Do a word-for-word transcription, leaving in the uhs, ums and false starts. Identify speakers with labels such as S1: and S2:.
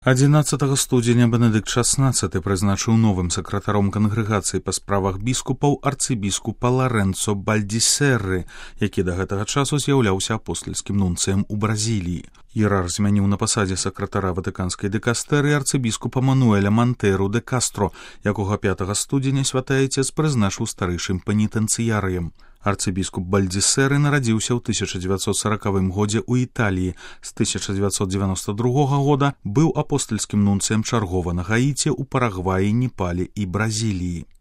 S1: адзінаццатага студзеня Бенедыкт шаснаццаты прызначыў новым сакратаром кангрэгацыі па справах біскупаў арцыбіскупа Ларэнцо Бальдісерры, які да гэтага часу з'яўляўся апостальскім нунцыем у Бразіліі. Іерарх змяніў на пасадзе сакратара ватыканскай дэкастэрыі арцыбіскупа Мануэля Мантэйру де Кастро, якога пятага студзеня святы айцец прызначыў старэйшым пенітэнцыярыем. Арцыбіскуп Бальдісерры нарадзіўся ў тысяча дзевяцьсот саракавым годзе ў Італіі. З тысяча дзевяцьсот дзевяноста другога года быў апостальскім нунцыем чаргова на Гаіце, у Парагваі, Непале і Бразіліі.